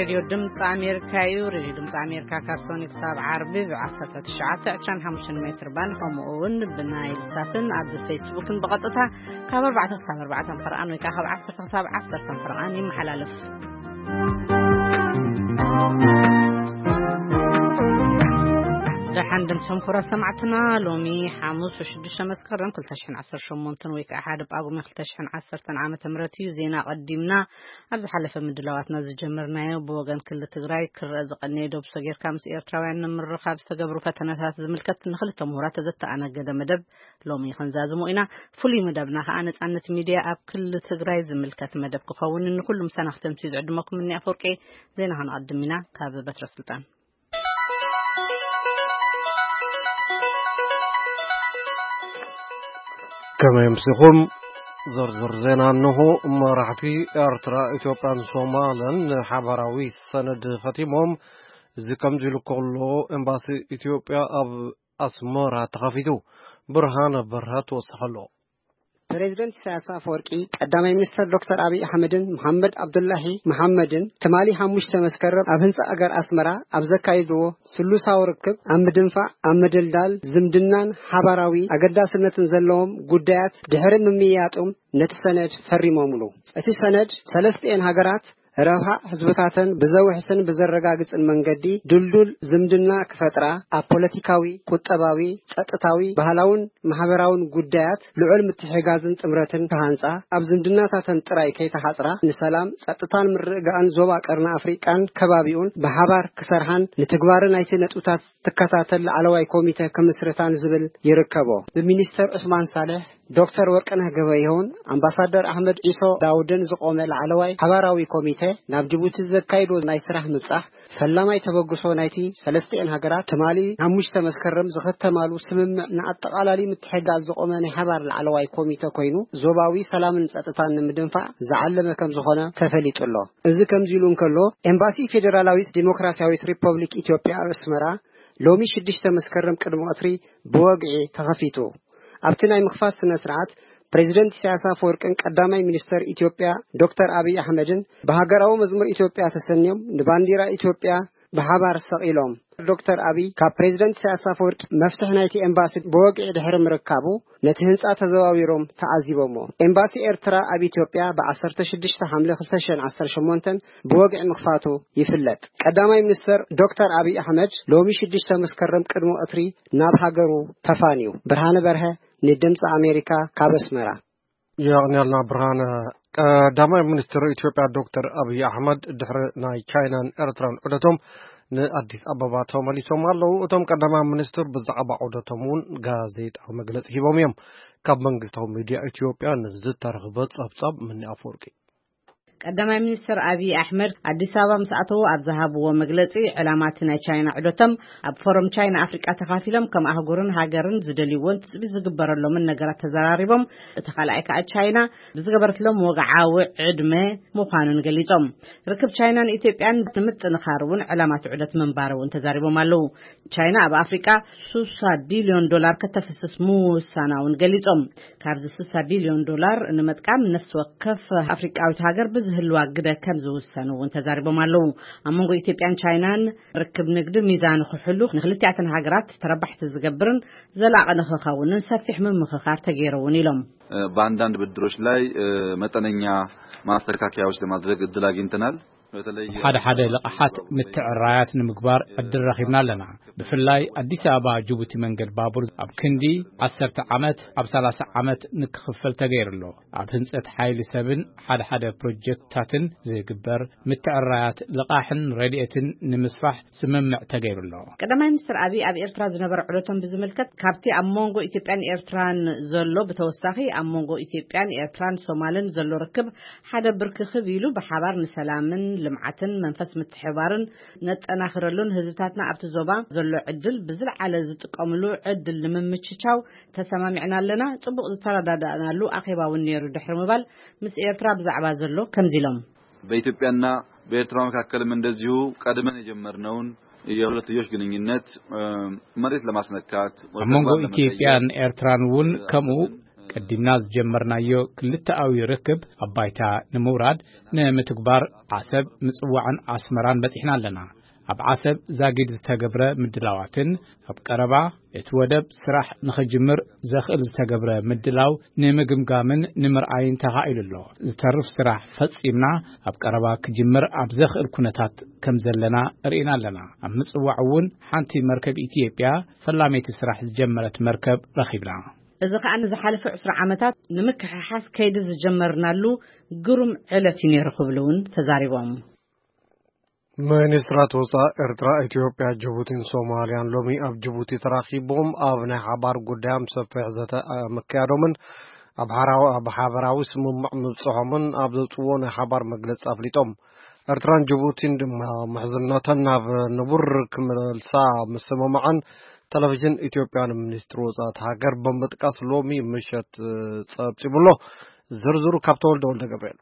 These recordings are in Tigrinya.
ሬድዮ ድምፂ ኣሜሪካ እዩ። ሬድዮ ድምፂ ኣሜሪካ ካብ ሶኒ ክሳብ ዓርቢ ብ1925 ሜትር ባንድ፣ ከምኡ እውን ብናይል ሳትን ኣብ ፌስቡክን ብቐጥታ ካብ ኣርባዕተ ክሳብ ኣርባዕተ ፈርቓን ወይ ከዓ ካብ ዓሰርተ ክሳብ ዓሰርተ ፈርቓን ይመሓላለፍ። ደሓን ድምፅም ኩራ ሰማዕትና፣ ሎሚ ሓሙስ ሽዱሽተ መስከረም ክልተ ሽሕን ዓሰርተ ሸሞንተን ወይ ከዓ ሓደ ጳጉሜ ክልተ ሽሕን ዓሰርተን ዓመተ ምህረት እዩ። ዜና ቀዲምና ኣብ ዝሓለፈ ምድላዋትና ዝጀመርናዮ፣ ብወገን ክልል ትግራይ ክረአ ዝቐነየ ዶብ ሰጊርካ ምስ ኤርትራውያን ንምርኻብ ዝተገብሩ ፈተነታት ዝምልከት ንክልተ ምሁራት ዘተኣናገደ መደብ ሎሚ ክንዛዝሞ ኢና። ፍሉይ መደብና ከዓ ነጻነት ሚድያ ኣብ ክልል ትግራይ ዝምልከት መደብ ክኸውን፣ ንኩሉ ምሳና ክተምስዩ ዝዕድመኩም እኒ ኣፈወርቂ። ዜና ክንቐድም ኢና ካብ በትረ ስልጣን። ከመይ ኣምሲኹም? ዝርዝር ዜና እንሆ። መራሕቲ ኤርትራ፣ ኢትዮጵያን ሶማልን ንሓባራዊ ሰነድ ኸቲሞም። እዚ ከምዚ ኢሉ ከሎ፣ ኤምባሲ ኢትዮጵያ ኣብ ኣስመራ ተኸፊቱ። ብርሃነ በርሀ ትወስኸሎ። ፕሬዚደንት ኢሳያስ ኣፈወርቂ፣ ቀዳማይ ሚኒስተር ዶክተር ኣብይ ኣሕመድን መሓመድ ኣብዱላሂ መሓመድን ትማሊ ሓሙሽተ መስከረም ኣብ ህንጻ ኣገር ኣስመራ ኣብ ዘካየድዎ ስሉሳዊ ርክብ፣ ኣብ ምድንፋዕ፣ ኣብ ምድልዳል ዝምድናን ሓባራዊ ኣገዳስነትን ዘለዎም ጉዳያት ድሕሪ ምምይያጦም፣ ነቲ ሰነድ ፈሪሞምሉ። እቲ ሰነድ ሰለስቲኤን ሃገራት ረብሓ ህዝብታተን ብዘውሕስን ብዘረጋግጽን መንገዲ ድልዱል ዝምድና ክፈጥራ፣ ኣብ ፖለቲካዊ፣ ቁጠባዊ፣ ጸጥታዊ፣ ባህላውን ማሕበራውን ጉዳያት ልዑል ምትሕጋዝን ጥምረትን ክሃንጻ፣ ኣብ ዝምድናታተን ጥራይ ከይተሓጽራ፣ ንሰላም፣ ጸጥታን ምርግጋእን ዞባ ቀርኒ ኣፍሪቃን ከባቢኡን ብሓባር ክሰርሓን ንትግባረ ናይቲ ነጥብታት ትከታተል ላዕለዋይ ኮሚተ ክምስርታን ዝብል ይርከቦ። ብሚኒስተር ዑስማን ሳልሕ፣ ዶክተር ወርቅነህ ገበየሁን ኣምባሳደር ኣሕመድ ዒሶ ዳውድን ዝቖመ ላዕለዋይ ሓባራዊ ኮሚተ፣ ናብ ጅቡቲ ዘካይዶ ናይ ስራሕ ምብጻሕ፣ ፈላማይ ተበግሶ ናይቲ ሰለስቲኤን ሃገራት ትማሊ ሓሙሽተ መስከረም ዝኸተማሉ ስምምዕ ንኣጠቓላሊ ምትሕግጋዝ ዝቖመ ናይ ሓባር ላዕለዋይ ኮሚተ ኮይኑ፣ ዞባዊ ሰላምን ጸጥታን ንምድንፋዕ ዝዓለመ ከም ዝኾነ ተፈሊጡ ኣሎ። እዚ ከምዚ ኢሉ እንከሎ፣ ኤምባሲ ፌደራላዊት ዲሞክራሲያዊት ሪፐብሊክ ኢትዮጵያ ኣብ ኣስመራ ሎሚ ሽዱሽተ መስከረም ቅድሚ ቀትሪ ብወግዒ ተኸፊቱ። ኣብቲ ናይ ምኽፋት ስነ ስርዓት፣ ፕሬዚደንት ኢሳያስ ኣፈወርቅን ቀዳማይ ሚኒስተር ኢትዮጵያ ዶክተር ኣብይ ኣሕመድን ብሃገራዊ መዝሙር ኢትዮጵያ ተሰንዮም ንባንዲራ ኢትዮጵያ ብሓባር ሰቒሎም። ዶክተር ኣብይ ካብ ፕሬዚደንት ኢሳያስ ኣፈወርቂ መፍትሕ ናይቲ ኤምባሲ ብወግዒ ድሕሪ ምርካቡ፣ ነቲ ህንጻ ተዘዋዊሮም ተዓዚቦሞ። ኤምባሲ ኤርትራ ኣብ ኢትዮጵያ ብ16 ሓምለ ክልተ ሽሕን ዓሰርተ ሸሞንተን ብወግዒ ምኽፋቱ ይፍለጥ። ቀዳማይ ሚኒስተር ዶክተር ኣብይ ኣሕመድ ሎሚ ሽዱሽተ መስከረም ቅድሚ ቀትሪ ናብ ሃገሩ ተፋንዩ። ብርሃነ በርሀ ንድምፂ ኣሜሪካ ካብ ኣስመራ። የቕንያልና ብርሃነ። ቀዳማይ ሚኒስትር ኢትዮጵያ ዶክተር ኣብይ ኣሕመድ ድሕሪ ናይ ቻይናን ኤርትራን ዑደቶም ንኣዲስ ኣበባ ተመሊሶም ኣለዉ። እቶም ቀዳማይ ሚኒስትር ብዛዕባ ዑደቶም እውን ጋዜጣዊ መግለጺ ሂቦም እዮም። ካብ መንግስታዊ ሚድያ ኢትዮጵያ ንዝተረኽበ ጸብጻብ ምኒ ኣፈወርቂ። ቀዳማይ ሚኒስትር ኣብይ ኣሕመድ ኣዲስ ኣበባ ምስ ኣተዉ ኣብ ዝሃብዎ መግለጺ፣ ዕላማ እቲ ናይ ቻይና ዑደቶም ኣብ ፎረም ቻይና ኣፍሪቃ ተኻፊሎም ከም ኣህጉርን ሃገርን ዝደልይዎን ትጽቢት ዝግበረሎምን ነገራት ተዘራሪቦም። እቲ ካልኣይ ከኣ ቻይና ብዝገበረትሎም ወግዓዊ ዕድመ ምዃኑን ገሊጾም። ርክብ ቻይናን ኢትዮጵያን ንምጥንኻር እውን ዕላማ እቲ ዑደት ምንባሩ እውን ተዛሪቦም ኣለዉ። ቻይና ኣብ ኣፍሪቃ ስሳ ቢልዮን ዶላር ከተፍስስ ምውሳና እውን ገሊጾም። ካብዚ ስሳ ቢልዮን ዶላር ንምጥቃም ነፍሲ ወከፍ ኣፍሪቃዊት ሃገር ብዝህልዋ ግደ ከም ዝውሰኑ እውን ተዛሪቦም ኣለዉ። ኣብ መንጎ ኢትዮጵያን ቻይናን ርክብ ንግዲ ሚዛን ክሕሉ ንክልቲኣተን ሃገራት ተረባሕቲ ዝገብርን ዘላቒ ንክኸውንን ሰፊሕ ምምኽኻር ተገይሩ እውን ኢሎም። በአንዳንድ ብድሮች ላይ መጠነኛ ማስተካከያዎች ለማድረግ እድል አግኝተናል። በተለይ ሓደ ሓደ ልቓሓት ምትዕራያት ንምግባር ዕድል ረኺብና ኣለና። ብፍላይ ኣዲስ ኣበባ ጅቡቲ መንገድ ባቡር ኣብ ክንዲ ዓሰርተ ዓመት ኣብ ሰላሳ ዓመት ንክኽፈል ተገይሩ ኣሎ። ኣብ ህንጸት ሓይሊ ሰብን ሓደ ሓደ ፕሮጀክትታትን ዝግበር ምትዕራያት ልቓሕን ረድኤትን ንምስፋሕ ስምምዕ ተገይሩ ኣሎ። ቀዳማይ ሚኒስትር ኣብይ ኣብ ኤርትራ ዝነበረ ዑደቶም ብዝምልከት፣ ካብቲ ኣብ መንጎ ኢትዮጵያን ኤርትራን ዘሎ ብተወሳኺ ኣብ መንጎ ኢትዮጵያን ኤርትራን ሶማልን ዘሎ ርክብ ሓደ ብርክኽብ ኢሉ ብሓባር ንሰላምን ልምዓትን መንፈስ ምትሕባርን ነጠናኽረሉን ህዝብታትና ኣብቲ ዞባ ዘሎ ዕድል ብዝለዓለ ዝጥቀምሉ ዕድል ንምምችቻው ተሰማሚዕና ኣለና። ጽቡቕ ዝተረዳዳእናሉ ኣኼባ እውን ነይሩ ድሕሪ ምባል፣ ምስ ኤርትራ ብዛዕባ ዘሎ ከምዚ ኢሎም። በኢትዮጵያና በኤርትራ መካከልም እንደዚሁ ቀድመን የጀመርነውን የሁለትዮሽ ግንኙነት መሬት ለማስነካት ኣብ መንጎ ኢትዮጵያን ኤርትራን እውን ከምኡ ቀዲምና ዝጀመርናዮ ክልተኣዊ ርክብ ኣብ ባይታ ንምውራድ ንምትግባር ዓሰብ፣ ምጽዋዕን ኣስመራን በጺሕና ኣለና። ኣብ ዓሰብ ዛጊድ ዝተገብረ ምድላዋትን ኣብ ቀረባ እቲ ወደብ ስራሕ ንኽጅምር ዘኽእል ዝተገብረ ምድላው ንምግምጋምን ንምርኣይን ተኻኢሉ ኣሎ። ዝተርፍ ስራሕ ፈጺምና ኣብ ቀረባ ክጅምር ኣብ ዘኽእል ኩነታት ከም ዘለና ርኢና ኣለና። ኣብ ምጽዋዕ እውን ሓንቲ መርከብ ኢትዮጵያ ፈላመይቲ ስራሕ ዝጀመረት መርከብ ረኺብና። እዚ ከኣ ንዝሓለፈ ዕስራ ዓመታት ንምክሕሓስ ከይዲ ዝጀመርናሉ ግሩም ዕለት እዩ ነይሩ ክብሉ እውን ተዛሪቦም። ሚኒስትራት ወፃኢ ኤርትራ፣ ኢትዮጵያ፣ ጅቡቲን ሶማልያን ሎሚ ኣብ ጅቡቲ ተራኺቦም ኣብ ናይ ሓባር ጉዳዮም ሰፊሕ ዘተ ምክያዶምን ኣብ ሓራዊ ኣብ ሓበራዊ ስምምዕ ምብፅሖምን ኣብ ዘውፅዎ ናይ ሓባር መግለፂ ኣፍሊጦም። ኤርትራን ጅቡቲን ድማ ምሕዝነተን ናብ ንቡር ክመልሳ ምስምምዐን ቴሌቪዥን ኢትዮጵያ ንሚኒስትሪ ወፃኢ ሃገር ብምጥቃስ ሎሚ ምሸት ፀብፂቡሎ። ዝርዝሩ ካብ ተወልደ ወልደ ገብርኤል።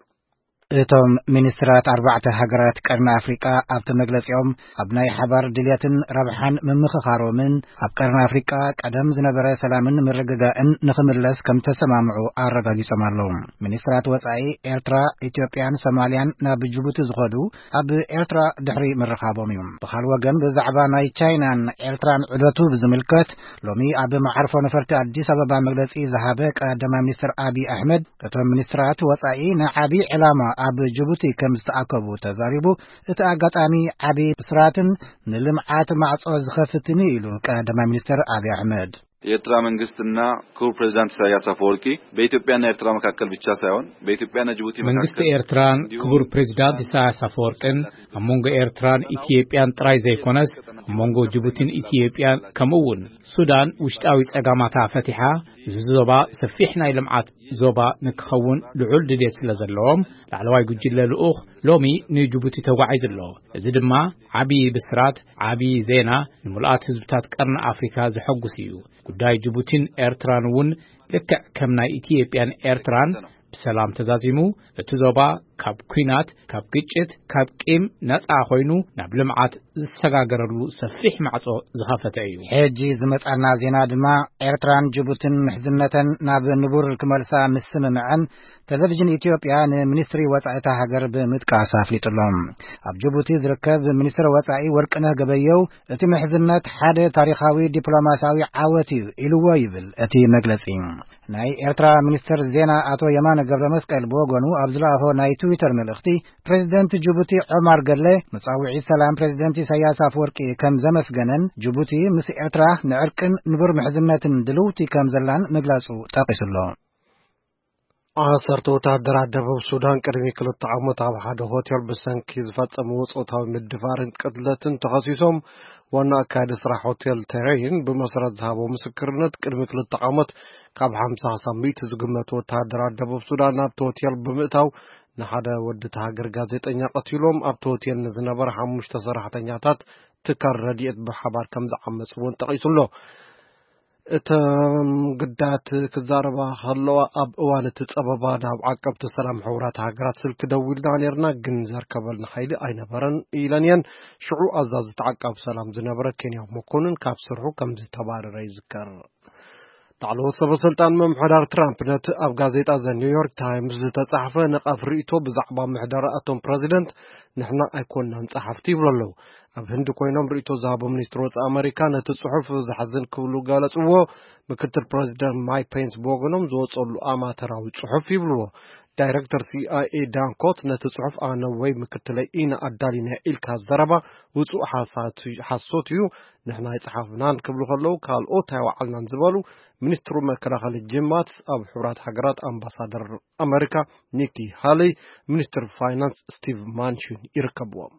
እቶም ሚኒስትራት ኣርባዕተ ሃገራት ቀርኒ ኣፍሪቃ ኣብቲ መግለጺኦም ኣብ ናይ ሓባር ድልየትን ረብሓን ምምኽኻሮምን ኣብ ቀርኒ ኣፍሪቃ ቀደም ዝነበረ ሰላምን ምርግጋእን ንኽምለስ ከም ተሰማምዑ ኣረጋጊጾም ኣለዉ። ሚኒስትራት ወጻኢ ኤርትራ፣ ኢትዮጵያን ሶማልያን ናብ ጅቡቲ ዝኸዱ ኣብ ኤርትራ ድሕሪ ምርኻቦም እዩ። ብኻል ወገን ብዛዕባ ናይ ቻይናን ኤርትራን ዑደቱ ብዝምልከት ሎሚ ኣብ መዓርፎ ነፈርቲ ኣዲስ ኣበባ መግለጺ ዝሃበ ቀዳማይ ሚኒስትር ኣቢይ ኣሕመድ፣ እቶም ሚኒስትራት ወጻኢ ንዓቢ ዕላማ ኣብ ጅቡቲ ከም ዝተኣከቡ ተዛሪቡ። እቲ ኣጋጣሚ ዓቢ ብስራትን ንልምዓት ማዕጾ ዝኸፍትን እዩ ኢሉ ቀዳማይ ሚኒስትር ኣቢይ ኣሕመድ። የኤርትራ መንግስትና ክቡር ፕሬዚዳንት ኢሳያስ አፈወርቂ በኢትዮጵያና ኤርትራ መካከል ብቻ ሳይሆን በኢትዮጵያና ጅቡቲ መንግስቲ መካከል ኤርትራን እንዲሁም ክቡር ፕሬዚዳንት ኢሳያስ አፈወርቅን ኣብ መንጎ ኤርትራን ኢትዮጵያን ጥራይ ዘይኮነስ ኣብ መንጎ ጅቡቲን ኢትዮጵያን ከምኡ እውን ሱዳን ውሽጣዊ ጸጋማታ ፈቲሓ እዚ ዞባ ሰፊሕ ናይ ልምዓት ዞባ ንክኸውን ልዑል ድሌት ስለ ዘለዎም ላዕለዋይ ጉጅለ ልኡኽ ሎሚ ንጅቡቲ ተጓዒዙ ኣሎ። እዚ ድማ ዓቢ ብስራት፣ ዓቢ ዜና፣ ንምሉኣት ህዝብታት ቀርኒ ኣፍሪካ ዘሐጉስ እዩ። ጉዳይ ጅቡቲን ኤርትራን እውን ልክዕ ከም ናይ ኢትዮጵያን ኤርትራን ብሰላም ተዛዚሙ እቲ ዞባ ካብ ኲናት፣ ካብ ግጭት፣ ካብ ቂም ነጻ ኮይኑ ናብ ልምዓት ዝሰጋገረሉ ሰፊሕ ማዕጾ ዝኸፈተ እዩ። ሕጂ ዝመጻና ዜና ድማ ኤርትራን ጅቡትን ምሕዝነተን ናብ ንቡር ክመልሳ ምስምምዐን ቴሌቪዥን ኢትዮጵያ ንሚኒስትሪ ወጻኢ እታ ሃገር ብምጥቃስ ኣፍሊጡሎም። ኣብ ጅቡቲ ዝርከብ ሚኒስትር ወጻኢ ወርቅነህ ገበየው እቲ ምሕዝነት ሓደ ታሪኻዊ ዲፕሎማሲያዊ ዓወት እዩ ኢልዎ ይብል እቲ መግለጺ። ናይ ኤርትራ ሚኒስትር ዜና ኣቶ የማነ ገብረ መስቀል ብወገኑ ኣብ ዝለኣኾ ናይ ትዊተር መልእኽቲ ፕሬዚደንት ጅቡቲ ዑማር ገለ መጻውዒት ሰላም ፕሬዚደንት ኢሳያስ ኣፈወርቂ ከም ዘመስገነን ጅቡቲ ምስ ኤርትራ ንዕርቅን ንቡር ምሕዝነትን ድልውቲ ከም ዘላን ምግላጹ ጠቒሱሎ። ዓሰርተ ወታደራት ደቡብ ሱዳን ቅድሚ ክልተ ዓመት ኣብ ሓደ ሆቴል ብሰንኪ ዝፈጸምዎ ጾታዊ ምድፋርን ቅትለትን ተኸሲሶም። ዋና ኣካያዲ ስራሕ ሆቴል ተሬይን ብመሰረት ዝሃቦ ምስክርነት ቅድሚ ክልተ ዓመት ካብ ሓምሳ ክሳብ ሚእቲ ዝግመቱ ወታደራት ደቡብ ሱዳን ናብቲ ሆቴል ብምእታው ንሓደ ወዲ እቲ ሃገር ጋዜጠኛ ቀቲሎም ኣብቲ ሆቴል ንዝነበረ ሓሙሽተ ሰራሕተኛታት ትካል ረድኤት ብሓባር ከም ዝዓመጽ እውን ጠቒሱ ኣሎ። እተን ግዳያት ክዛረባ ከለዋ ኣብ እዋን እቲ ጸበባ ናብ ዓቀብቲ ሰላም ሕቡራት ሃገራት ስልኪ ደዊልና ነርና ግን ዘርከበልና ሓይሊ ኣይነበረን ኢለን እየን። ሽዑ ኣዛዚ እቲ ዓቃቢ ሰላም ዝነበረ ኬንያዊ መኮንን ካብ ስርሑ ከም ዝተባረረ ይዝከር። ላዕለዎት ሰበ ስልጣን ምምሕዳር ትራምፕ ነቲ ኣብ ጋዜጣ ዘ ኒውዮርክ ታይምስ ዝተጻሕፈ ነቓፍ ርእይቶ ብዛዕባ ምሕደራ እቶም ፕረዚደንት ንሕና ኣይኮንናን ጸሓፍቲ ይብሉ ኣለዉ። ኣብ ህንዲ ኮይኖም ርእይቶ ዝሃቡ ሚኒስትር ወጻኢ ኣመሪካ ነቲ ጽሑፍ ዘሕዝን ክብሉ ገለጽዎ። ምክትል ፕረዚደንት ማይክ ፔንስ ብወገኖም ዝወጸሉ ኣማተራዊ ጽሑፍ ይብልዎ። ዳይረክተር ሲኣይኤ ዳን ኮት ነቲ ጽሑፍ ኣነ ወይ ምክትለይ ኢና ኣዳሊና ኢልካ ዘረባ ውጹእ ሓሳት- ሓሶት እዩ። ንሕና ኣይጸሓፍናን ክብሉ ከለዉ ካልኦት ኣይወዓልናን ዝበሉ ሚኒስትሩ መከላኸሊ ጂም ማትስ ኣብ ሕቡራት ሃገራት ኣምባሳደር ኣመሪካ ኒኪ ሃለይ፣ ሚኒስትር ፋይናንስ ስቲቭ ማንሽን ይርከብዎም።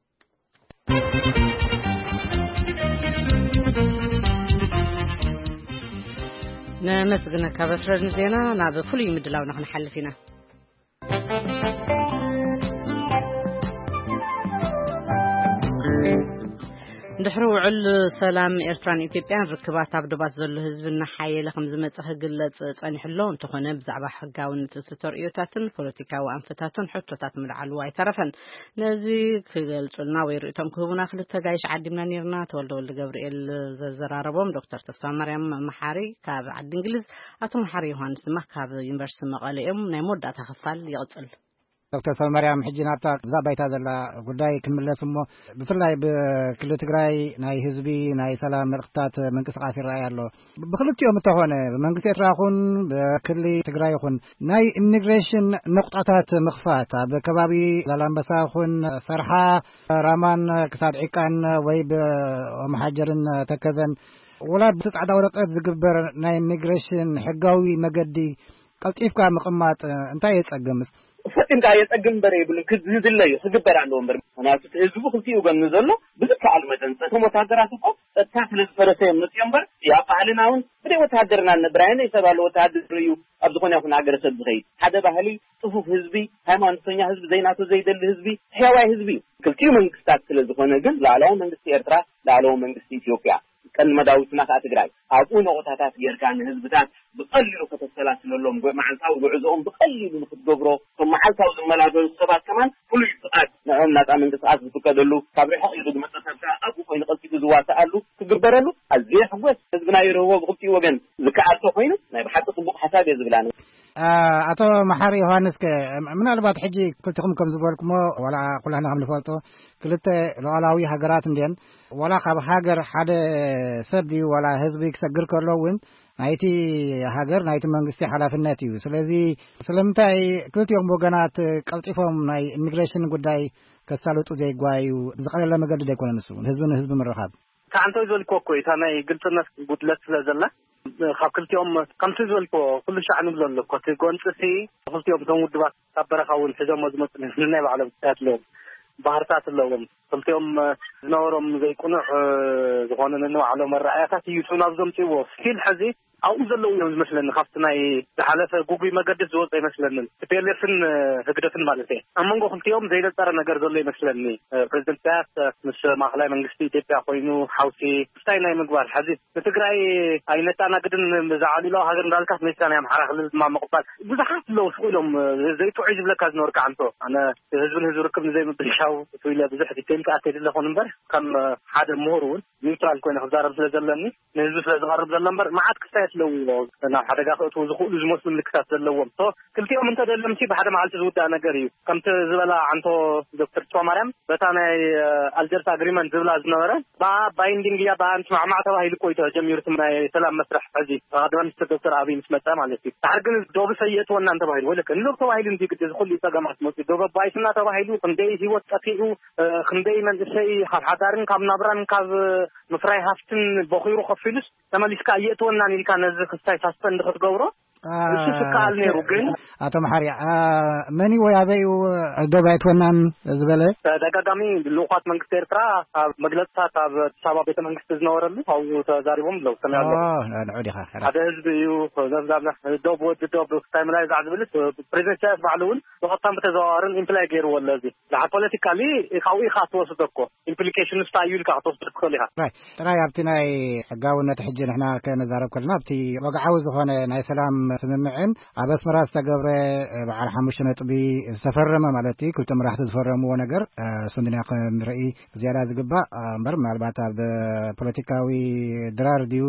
ነመስግነካ በትረ ንዜና። ናብ ፍሉይ ምድላውና ክንሓልፍ ኢና። ድሕሪ ውዕል ሰላም ኤርትራን ኢትዮጵያን ርክባት ኣብ ዶባት ዘሎ ህዝቢ እናሓየለ ከም ዝመጸ ክግለጽ ጸኒሑ ኣሎ። እንተኾነ ብዛዕባ ሕጋውነት እቲ ተርእዮታትን ፖለቲካዊ ኣንፈታቱን ሕቶታት ምልዓሉ ኣይተረፈን። ነዚ ክገልጹልና ወይ ርእይቶም ክህቡና ክልተ ጋይሽ ዓዲምና ነይርና። ተወልደ ወልደ ገብርኤል ዘዘራረቦም ዶክተር ተስፋ ማርያም መሓሪ ካብ ዓዲ እንግሊዝ፣ ኣቶ መሓሪ ዮሃንስ ድማ ካብ ዩኒቨርሲቲ መቐለ እዮም። ናይ መወዳእታ ክፋል ይቕጽል። ዶክተር ሰልማርያም፣ ሕጂ ናብታ እዛ ባይታ ዘላ ጉዳይ ክንምለስ እሞ፣ ብፍላይ ብክልል ትግራይ ናይ ህዝቢ ናይ ሰላም መልእኽትታት ምንቅስቃስ ይረኣይ ኣሎ። ብክልቲኦም እንተኾነ፣ ብመንግስቲ ኤርትራ ይኹን ብክልል ትግራይ ይኹን፣ ናይ ኢሚግሬሽን ነቁጣታት ምኽፋት ኣብ ከባቢ ዛላምበሳ ይኹን ሰርሓ፣ ራማን ክሳድ ዒቃን ወይ ብኦምሓጀርን ተከዘን፣ ወላ ብቲ ጻዕዳ ወረቀት ዝግበር ናይ ኢሚግሬሽን ሕጋዊ መገዲ ቀልጢፍካ ምቕማጥ እንታይ የጸግምስ? ፈጺምካ የጸግም እምበር የብሉን። ክዝድለ እዩ፣ ክግበር ኣለዎ እምበር። ምኽንያቱ እቲ ህዝቡ ክልቲኡ ጎኒ ዘሎ ብዝከኣል መጠን፣ እቶም ወታደራት እኮ ጸጥታ ስለ ዝፈረሰ እዮም መጽዮም እምበር፣ ኣብ ባህልና እውን ብደይ ወታደርና ንነብር። ኣየናይ ሰብ ኣሎ ወታደር እዩ ኣብ ዝኾነ ይኹን ሃገረሰብ ዝኸይድ? ሓደ ባህሊ፣ ጽፉፍ ህዝቢ፣ ሃይማኖተኛ ህዝቢ፣ ዘይናቱ ዘይደሊ ህዝቢ፣ ሕያዋይ ህዝቢ እዩ። ክልቲኡ መንግስታት ስለ ዝኾነ ግን፣ ላዕለዋይ መንግስቲ ኤርትራ፣ ላዕለዋይ መንግስቲ ኢትዮጵያ፣ ቀንዲ መዳውትና ከኣ ትግራይ፣ ኣብኡ ነቑጣታት ጌርካ ንህዝብታት ብቐሊሉ ከተሰላስለሎም፣ ጉ-፣ መዓልታዊ ጉዕዞኦም ብቐሊሉ ንክትገብሮ፣ እቶም መዓልታዊ ዝመላለሱ ሰባት ከማን ፍሉይ ፍቓድ ንዕኦም ናጻ ምንቅስቃስ ዝፍቀደሉ፣ ካብ ርሕቕ ኢሉ ዝመጸ ሰብ ከኣ ኣብኡ ኮይኑ ቀልጢፉ ዝዋሳኣሉ ክግበረሉ ኣዝየ ሕጎስ። ህዝብና ይርህቦ ብኽልቲኡ ወገን ዝከኣል ተኾይኑ ናይ ብሓቂ ጽቡቕ ሓሳብ እየ ዝብል ኣነ። ኣ-፣ ኣቶ መሓሪ ዮሃንስ ከ፣ ም-፣ ምናልባት ሕጂ ክልቲኹም ከም ዝበልኩሞ፣ ዋላ ኩላህና ከም ንፈልጦ፣ ክልተ ሉዓላዊ ሃገራት እንድየን፣ ዋላ ካብ ሃገር ሓደ ሰብ ድዩ ዋላ ህዝቢ ክሰግር ከሎ እውን ናይቲ ሃገር ናይቲ መንግስቲ ሓላፍነት እዩ። ስለዚ ስለምንታይ ክልቲኦም ወገናት ቀልጢፎም ናይ ኢሚግሬሽን ጉዳይ ከሳልጡ ዘይጓዩ? ዝቐለለ መገዲ ዘይኮነ ንሱ እውን ህዝቢ ንህዝቢ ምርኻብ? ከዓንቶ ዝበልክዎ እኮ እዩ፣ እታ ናይ ግልጽነት ጉድለት ስለ ዘላ፣ ካብ ክልቲኦም ከምቲ ዝበልክዎ ኩሉ ሻዕ ንብሎ ኣሎ እኮ። እቲ ጎንፂ ሲ ክልቲኦም እቶም ውድባት ካብ በረኻ እውን ሒዞሞ ዝመፁ ናይ ባዕሎም ጉዳያት ኣለዎም፣ ባህርታት ኣለዎም። ክልቲኦም ዝነበሮም ዘይቅኑዕ ዝኾነ ነንባዕሎም ኣረኣእያታት እዩ እሱ ናብ ዘምፅእዎ። ስቲል ሕዚ ኣብኡ ዘለዉ እዮም ዝመስለኒ። ካብቲ ናይ ዝሓለፈ ጉጉይ መገዲ ዝወፀ ይመስለንን። ቲ ፒ ኤል ኤፍን ህግደፍን ማለት እየ። ኣብ መንጎ ክልቲኦም ዘይነፀረ ነገር ዘሎ ይመስለኒ። ፕሬዚደንት ኢሳያስ ምስ ማእኸላይ መንግስቲ ኢትዮጵያ ኮይኑ ሓውሲ እንታይ ናይ ምግባር፣ ሕዚ ንትግራይ ኣይነተኣናግድን ብዛዕባ ሉዓላዊ ሃገር እንዳልካ፣ መሲልካ ናይ ኣምሓራ ክልል ድማ ምቕባል፣ ብዙሓት ኣለዉ ስቕ ኢሎም ዘይጥዑይ ዝብለካ ዝነበርካ ኣንቶ። ኣነ ህዝብን ህዝቢ ርክብ ንዘይምብልሻው እቱ ኢለ ብዙሕ ዲቴይል ክኣት የድለ ኹን እምበር፣ ከም ሓደ ምሁር እውን ኒውትራል ኮይነ ክዛረብ ስለ ዘለኒ፣ ንህዝቢ ስለ ዝቐርብ ዘሎ እምበር፣ መዓት ክስታይ ኣለዎ ናብ ሓደጋ ክእትዉ ዝኽእሉ ዝመስሉ ምልክታት ዘለዎም። ሶ ክልቲኦም እንተደለምሲ ብሓደ መዓልቲ ዝውዳእ ነገር እዩ። ከምቲ ዝበላ ኣንቶ ዶክተር ተስፋማርያም፣ በታ ናይ ኣልጀርስ ኣግሪመንት ዝብላ ዝነበረ፣ ብኣ ባይንዲንግ እያ፣ ብኣ ንስማዕማዕ ተባሂሉ እኮ እዩ ተጀሚሩ እቲ ናይ ሰላም መስርሕ። ሕዚ ቀዳማይ ሚኒስትር ዶክተር ኣብይ ምስ መጸ ማለት እዩ። ድሓር ግን ዶብ ሰየእትወናን ተባሂሉ፣ ወይለከ ንዶብ ተባሂሉ እንዲ ግዲ እዚ ኩሉ ጸገማት መጽኡ፣ ዶብ ኣባይትና ተባሂሉ ክንደይ ህይወት ጠፊኡ፣ እ፣ ክንደይ መንእሰይ ካብ ሓዳርን ካብ ናብራን ካብ ምፍራይ ሃፍትን ቦኺሩ ከፊሉስ ተመሊስካ እየእትወናን ኢልካ ነዚ ክስታይ ሳስፐንድ ክትገብሮ፣ አ፣ እሱ ስከኣል ነይሩ። ግን ኣቶ መሓሪ፣ አ፣ መን እዩ ወይ ኣበይ እዩ ዶብ ኣይትወናን ዝበለ? ተደጋጋሚ ልኡኻት መንግስቲ ኤርትራ ኣብ መግለጽታት ኣብ ኣዲስ ኣበባ ቤተ መንግስቲ ዝነበረሉ ኣብኡ ተዛሪቦም ኣለዉ። ሰሚዐ ኣለኹ። ኦ፣ ንዑ ዲኻ? ሓደ ህዝቢ እዩ፣ ዘብዛብዛ ዶብ ወዲ ዶብ ክስታይ ምላይ ዛዕ ዝብልስ ፕሬዚደንት ኢሳያስ ባዕሉ እውን ብቐጥታን ብተዘዋዋርን ኢምፕላይ ገይርዎ ኣሎ። እዚ ድሓር ፖለቲካሊ ካብኡ ኢኻ ትወስዶ እኮ። ኢምፕሊኬሽንስ እንታይ እዩ ኢልካ ክትወስዶ ትኽእል ኢኻ። ጥራይ፣ ጥራይ ኣብቲ ናይ ሕጋውነት ሕጂ ንሕና ከነዛረብ ከለና ኣብቲ ወግዓዊ ዝኾነ ናይ ሰላም ስምምዕን ኣብ ኣስመራ ዝተገብረ በዓል ሓሙሽተ ነጥቢ ዝተፈረመ ማለት እዩ፣ ክልተ መራሕቲ ዝፈረምዎ ነገር፣ እ፣ እሱ እንድና ክንርኢ ዝያዳ ዝግባእ፣ እ፣ እምበር ምናልባት ኣብ ፖለቲካዊ ድራር ድዩ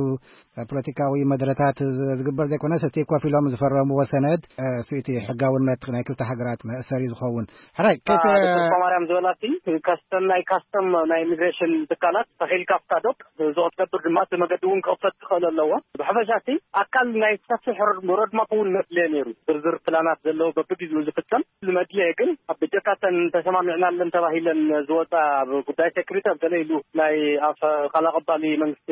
ፖለቲካዊ መድረታት ዝ-፣ ዝግበር ዘይኮነስ፣ እቲ ኮፍ ኢሎም ዝፈረምዎ ሰነድ፣ እ፣ እሱ እቲ ሕጋውነት ናይ ክልተ ሃገራት መእሰሪ ዝኸውን። ሕራይ፣ ከይተ- ዶክተር ማርያም ዝበላሲ፣ ከስተም ናይ ካስተም ናይ ኢሚግሬሽን ትካላት ተኺልካ ኣብታ ዶብ፣ እዚ ክትገብር ድማ እቲ መገዲ እውን ክኽፈት ክኽእል ኣለዎ። ብሓፈሻ እቲ ኣካል ናይ ሰፊሕ ሮድ-፣ ሮድማፕ እውን መድልየ ነይሩ። ዝርዝር ፕላናት ዘለዎ በብግዜኡ ዝፍጸም ዝመድልየ ግን፣ ኣብ ብጀካተን ተሰማሚዕናለን ተባሂለን ዝወፃ ኣብ ጉዳይ ሴኩሪቲ ኣብ ገለ ኢሉ ናይ ኣፈ-፣ ቃል ኣቐባሊ መንግስቲ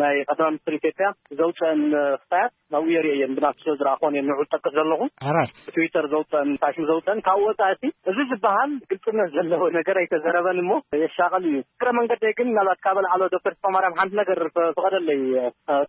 ናይ ቀዳማይ ሚኒስትር ኢትዮጵያ ኢትዮጵያ ዘውፀአን ክፋያት ናብኡ የርእየን ብናቱ ስለ ዝረኣኾን እየ ንዑ ጠቅስ ዘለኹ። ሕራይ። ብትዊተር ዘውፀአን ፋሽን ዘውፀአን ካብኡ ወፃእቲ እዚ ዝበሃል ግልፅነት ዘለዎ ነገር ኣይተዘረበን እሞ የሻቐል እዩ። እግረ መንገደይ ግን ምናልባት ካብ ኣልዓሎ ዶክተር ተስፋማርያም ሓንቲ ነገር ፍቐደለይ።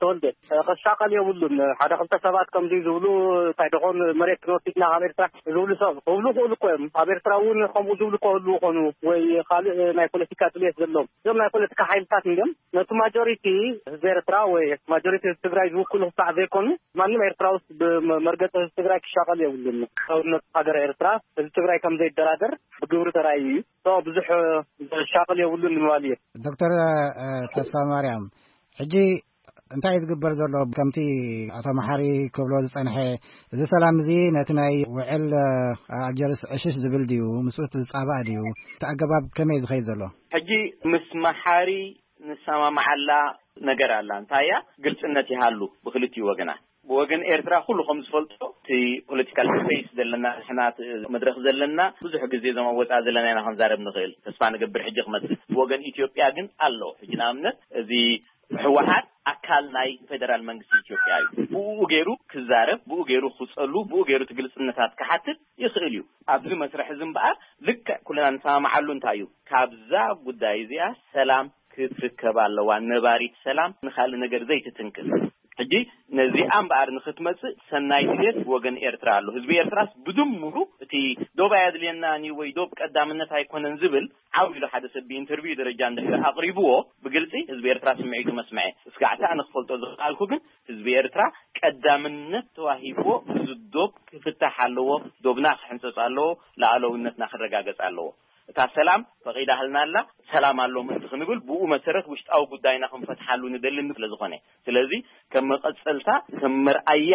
ተወልደ፣ ክሻቐል የብሉን። ሓደ ክልተ ሰባት ከምዚ ዝብሉ እንታይ ደኾን መሬት ክንወስድና ካብ ኤርትራ ዝብሉ ሰብ ክብሉ ክእሉ እኮ እዮም። ኣብ ኤርትራ እውን ከምኡ ዝብሉ ከህልዉ ይኾኑ ወይ ካልእ ናይ ፖለቲካ ድልየት ዘለዎም እዞም ናይ ፖለቲካ ሓይልታት እንዲኦም ነቲ ማጆሪቲ ህዝቢ ኤርትራ ወይ ማጆሪቲ ህዝቢ ትግራይ ዝውክሉ ክሳዕ ዘይኮኑ ማንም ኤርትራ ውስጥ ብመርገፂ ህዝቢ ትግራይ ክሻቐል የብሉን። ሰውነት ሃገር ኤርትራ ህዝቢ ትግራይ ከም ዘይደራደር ብግብሪ ተራእዩ እዩ። ብዙሕ ዘሻቕል የብሉን ንምባል እየ። ዶክተር ተስፋ ማርያም፣ ሕጂ እንታይ እዩ ዝግበር ዘሎ? ከምቲ ኣቶ መሓሪ ክብሎ ዝጸንሐ፣ እዚ ሰላም እዚ ነቲ ናይ ውዕል ኣልጀርስ ዕሽሽ ዝብል ድዩ? ምስኡ ዝጻባእ ድዩ? እቲ ኣገባብ ከመይ ዝኸይድ ዘሎ? ሕጂ ምስ መሓሪ ንሰማማዓላ ነገር ኣላ። እንታይ እያ? ግልጽነት ይሃሉ ብክልቲኡ ወገናት። ብወገን ኤርትራ ኩሉ ከም ዝፈልጦ እቲ ፖለቲካል ስፔስ ዘለና ንሕና እቲ መድረኽ ዘለና ብዙሕ ግዜ እዞም ኣብ ወጻኢ ዘለና ኢና ክንዛረብ ንኽእል። ተስፋ ንገብር ሕጂ ክመጽእ። ብወገን ኢትዮጵያ ግን ኣሎ። ሕጂ ንኣብነት እዚ ህወሓት ኣካል ናይ ፌደራል መንግስቲ ኢትዮጵያ እዩ። ብኡ ገይሩ ክዛረብ፣ ብኡ ገይሩ ክጸሉ፣ ብኡ ገይሩ እቲ ግልጽነታት ክሓትት ይኽእል እዩ። ኣብዚ መስርሕ እዚ እምበኣር ልክዕ ኩልና ንሰማማዓሉ እንታይ እዩ? ካብዛ ጉዳይ እዚኣ ሰላም ክትርከብ ኣለዋ። ነባሪት ሰላም ንኻልእ ነገር ዘይትትንክፍ። ሕጂ ነዚኣ እምበኣር ንኽትመጽእ ሰናይ ድሌት ወገን ኤርትራ ኣሎ። ህዝቢ ኤርትራስ ብድምሩ እቲ ዶብ ኣየድልየናን እዩ ወይ ዶብ ቀዳምነት ኣይኮነን ዝብል ዓው ኢሉ ሓደ ሰብ ብኢንተርቪው ደረጃ እንድሕር ኣቕሪብዎ ብግልጺ ህዝቢ ኤርትራ ስምዒቱ መስምዐ። ስጋዕቲ ኣነ ክፈልጦ ዝኸኣልኩ ግን ህዝቢ ኤርትራ ቀዳምነት ተዋሂብዎ እዚ ዶብ ክፍታሕ ኣለዎ፣ ዶብና ክሕንጸጽ ኣለዎ፣ ሉዓላውነትና ክረጋገጽ ኣለዎ። እታ ሰላም ፈቒዳህልና ኣላ፣ ሰላም ኣሎ ምእንቲ ክንብል ብኡ መሰረት ውሽጣዊ ጉዳይና ክንፈትሓሉ ንደሊ ስለ ዝኾነ። ስለዚ ከም መቐጸልታ፣ ከም መርኣያ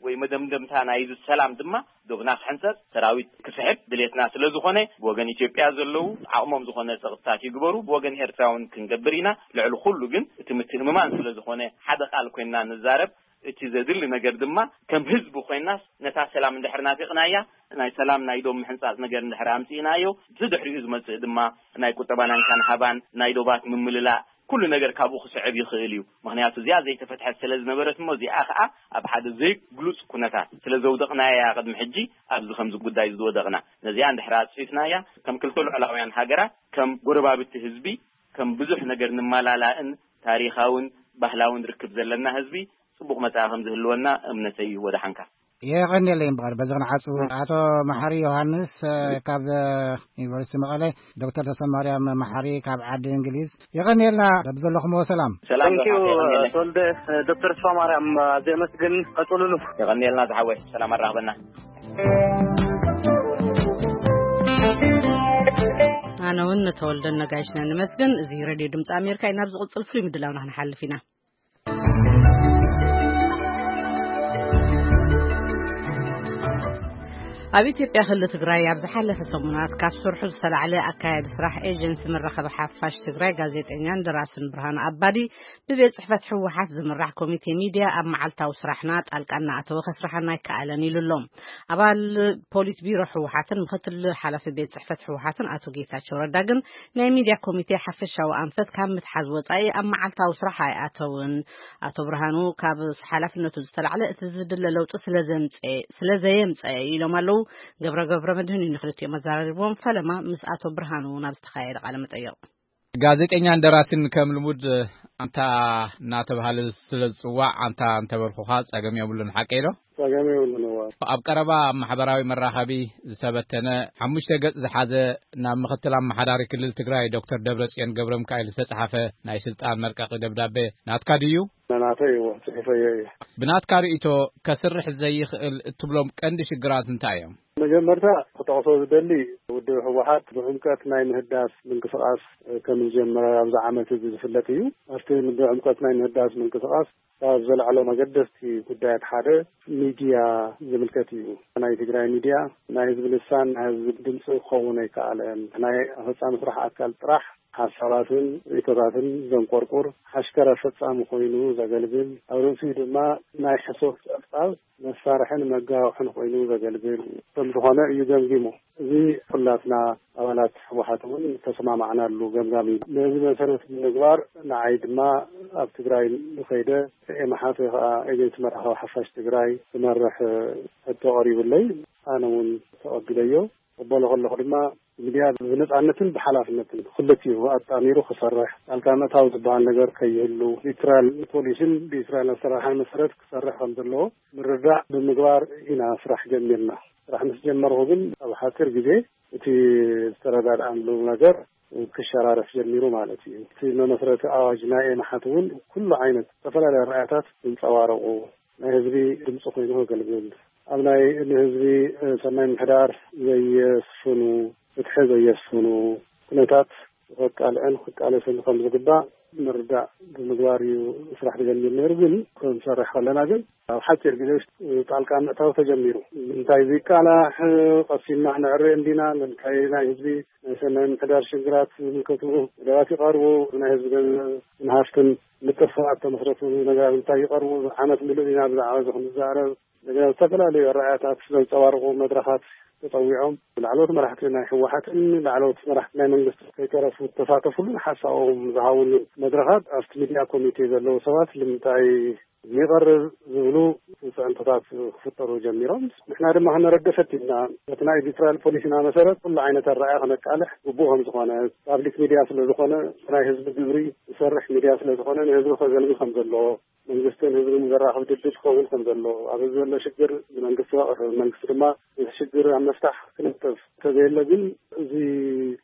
ወይ መደምደምታ ናይዚ ሰላም ድማ ዶብና ክሕንጸጽ፣ ሰራዊት ክስሕብ ድሌትና ስለ ዝኾነ፣ ብወገን ኢትዮጵያ ዘለዉ ዓቕሞም ዝኾነ ጸቕጥታት ይግበሩ፣ ብወገን ኤርትራ እውን ክንገብር ኢና። ልዕሊ ኩሉ ግን እቲ ምትእምማን ስለ ዝኾነ ሓደ ቃል ኮይንና ንዛረብ፣ እቲ ዘድሊ ነገር ድማ ከም ህዝቢ ኮይናስ ነታ ሰላም እንድሕር ናፊቕናያ፣ ናይ ሰላም ናይ ዶብ ምሕንጻጽ ነገር እንድሕር ኣምጺእናዮ፣ ብድሕሪኡ ዝመጽእ ድማ ናይ ቁጠባ ናንካን ሃባን ናይ ዶባት ምምልላእ ኩሉ ነገር ካብኡ ክስዕብ ይኽእል እዩ። ምኽንያቱ እዚኣ ዘይተፈትሐት ስለ ዝነበረት እሞ እዚኣ ኸኣ ኣብ ሓደ ዘይግሉጽ ኩነታት ስለ ዘውደቕናያ እያ ቅድሚ ሕጂ ኣብዚ ከምዚ ጉዳይ ዝወደቕና። ነዚኣ እንድሕር ኣጽፊፍናያ ከም ክልተ ልዑላውያን ሃገራት ከም ጎረባብቲ ህዝቢ ከም ብዙሕ ነገር ንመላላእን ታሪኻውን ባህላውን ርክብ ዘለና ህዝቢ ጽቡቕ መጻኢ ከም ዝህልወና እምነተይ እዩ። ወደሓንካ። የቐንየለይ እምበኣር በዚ ክንዓጹ ኣቶ መሓሪ ዮሃንስ ካብ ዩኒቨርሲቲ መቐለ፣ ዶክተር ተሰማርያም መሓሪ ካብ ዓዲ እንግሊዝ የቐንየልና በብዘለኹምዎ ሰላም። ሰላም ተወልደ። ዶክተር ተስፋ ማርያም ኣዘ መስግን ቀጽሉሉ። የቐንየልና ዝሓወይ ሰላም ኣራኽበና። ኣነ እውን ንተወልደን ነጋይሽና ንመስግን። እዚ ሬድዮ ድምፂ ኣሜሪካ እዩ። ናብ ዝቕፅል ፍሉይ ምድላውና ክንሓልፍ ኢና። ኣብ ኢትዮጵያ ክልል ትግራይ ኣብ ዝሓለፈ ሰሙናት ካብ ስርሑ ዝተላዕለ ኣካያዲ ስራሕ ኤጀንሲ መራኸቢ ሓፋሽ ትግራይ ጋዜጠኛን ደራስን ብርሃኑ ኣባዲ ብቤት ጽሕፈት ህወሓት ዝምራሕ ኮሚቴ ሚድያ ኣብ መዓልታዊ ስራሕና ጣልቃ እናኣተወ ከስርሓና ኣይከኣለን ኢሉ ኣሎ። ኣባል ፖሊት ቢሮ ህወሓትን ምክትል ሓላፊ ቤት ጽሕፈት ህወሓትን ኣቶ ጌታቸው ረዳ ግን ናይ ሚድያ ኮሚቴ ሓፈሻዊ ኣንፈት ካብ ምትሓዝ ወፃኢ ኣብ መዓልታዊ ስራሕ ኣይኣተውን። ኣቶ ብርሃኑ ካብ ሓላፍነቱ ዝተላዕለ እቲ ዝድለ ለውጢ ስለ ዘምፀ-፣ ስለ ዘየምፀ ኢሎም ኣለዉ። ገብረ ገብረ መድህን እዩ ንክልቲኦም ኣዘራሪብዎም። ፈለማ ምስ ኣቶ ብርሃኑ ናብ ዝተኻየደ ቃለ መጠየቕ። ጋዜጠኛን ደራሲን ከም ልሙድ ኣንታ እናተባሃለ ስለ ዝጽዋዕ ኣንታ እንተበልኩኻ ጸገም የብሉን፣ ሓቀይ ዶ? ጸገም የብሉን፣ እወ። ኣብ ቀረባ ኣብ ማሕበራዊ መራኸቢ ዝተበተነ ሓሙሽተ ገጽ ዝሓዘ ናብ ምክትል ኣመሓዳሪ ክልል ትግራይ ዶክተር ደብረጽዮን ገብረሚካኤል ዝተጻሓፈ ናይ ስልጣን መልቀቂ ደብዳቤ ናትካ ድዩ? ናተይ፣ እወ፣ ጽሒፈዮ እየ። ብናትካ ርእይቶ ከስርሕ ዘይኽእል እትብሎም ቀንዲ ሽግራት እንታይ እዮም? መጀመርታ ክጠቕሶ ዝደሊ ውድብ ህወሓት ብዕምቀት ናይ ምህዳስ ምንቅስቓስ ከም ዝጀመረ ኣብዚ ዓመት እዚ ዝፍለጥ እዩ። ኣብቲ ብዕምቀት ናይ ምህዳስ ምንቅስቓስ ካብ ዘልዓሎም ኣገደስቲ ጉዳያት ሓደ ሚድያ ዝምልከት እዩ። ናይ ትግራይ ሚድያ ናይ ህዝቢ ልሳን፣ ናይ ህዝቢ ድምፂ ክኸውን ኣይከኣለን። ናይ ኣፈፃሚ ስራሕ ኣካል ጥራሕ ሓሳባትን ርእይቶታትን ዘንቆርቁር ሓሽከረ ፈጻሚ ኮይኑ ዘገልግል፣ ኣብ ርእሲኡ ድማ ናይ ሕሶት ጸብጻብ መሳርሕን መጋውሕን ኮይኑ ዘገልግል ከም ዝኾነ እዩ ገምጊሙ። እዚ ኩላትና ኣባላት ህወሓት እውን ተሰማማዕናሉ ገምጋም እዩ። ነዚ መሰረት ብምግባር ንዓይ ድማ ኣብ ትግራይ ከይደ ኤማሓት ወይ ከዓ ኤጀንሲ መራኸቢ ሓፋሽ ትግራይ ክመርሕ ሕቶ ቀሪቡለይ። ኣነ እውን ተቐቢለዮ። ክቕበሎ ከለኹ ድማ ሚድያ ብነፃነትን ብሓላፍነትን ክልቲኡ ኣጣሚሩ ክሰርሕ፣ ጣልቃ ምእታው ዝበሃል ነገር ከይህሉ፣ ብኢትራል ፖሊሲን ብኢትራል ኣሰራርሓን መሰረት ክሰርሕ ከም ዘለዎ ምርዳእ ብምግባር ኢና ስራሕ ጀሚርና። ስራሕ ምስ ጀመርኩ ግን ኣብ ሓፂር ግዜ እቲ ዝተረዳድኣሉ ነገር ክሸራረፍ ጀሚሩ ማለት እዩ። እቲ መመስረቲ ኣዋጅ ናይ ኤማሓት እውን ኩሉ ዓይነት ዝተፈላለዩ ኣረኣእያታት ዘንፀባረቑ፣ ናይ ህዝቢ ድምፂ ኮይኑ ከገልግል፣ ኣብ ናይ ንህዝቢ ሰናይ ምሕዳር ዘየስፍኑ፣ ፍትሒ ዘየስፍኑ ኩነታት ከቃልዕን ክቃለስን ከም ዝግባእ ምርዳእ ብምግባር እዩ ስራሕ ተጀሚሩ ነይሩ። ግን ክንሰርሕ ከለና ግን ኣብ ሓፂር ግዜ ውሽጢ ጣልቃ ምእታው ተጀሚሩ። እንታይ ዝቃላሕ ቀሲና ነዕርዮ እንዲና፣ እንታይ ናይ ህዝቢ ናይ ሰናይ ምሕዳር ሽግራት ዝምልከቱ መደባት ይቐርቡ፣ ናይ ህዝቢ ገንዘብ ንሃፍትን ምጥፍፋእ ተመስረቱ ነገራት እንታይ ይቐርቡ፣ ዓመት ምሉእ ኢና ብዛዕባ እዚ ክንዛረብ። እንደገና ዝተፈላለዩ ኣረኣእያታት ዘንፀባርቑ መድረኻት ተፀዊዖም ላዕለዎት መራሕቲ ናይ ህወሓትን ላዕለዎት መራሕቲ ናይ መንግስቲ ከይተረፉ ዝተሳተፉሉን ሓሳቦም ዝሃቡሉን መድረኻት ኣብቲ ሚድያ ኮሚቴ ዘለዉ ሰባት ልምንታይ ይቐርብ ዝብሉ ፅዕንቶታት ክፍጠሩ ጀሚሮም። ንሕና ድማ ክንረደ ፈቲና። በቲ ናይ ኤዲቶሪያል ፖሊሲና መሰረት ኩሉ ዓይነት ኣረኣእያ ከነቃልሕ ግቡእ ከም ዝኾነ፣ ፓብሊክ ሚድያ ስለ ዝኾነ፣ ናይ ህዝቢ ግብሪ ዝሰርሕ ሚድያ ስለ ዝኾነ ንህዝቢ ከገልግል ከም ዘለዎ፣ መንግስትን ህዝብን ዘራኽብ ድልድል ክኸውን ከም ዘለዎ፣ ኣብ ህዝቢ ዘሎ ሽግር ንመንግስቲ ከቕርብ፣ መንግስቲ ድማ እቲ ሽግር ኣብ መፍታሕ ክነጥፍ እንተዘየለ ግን፣ እዚ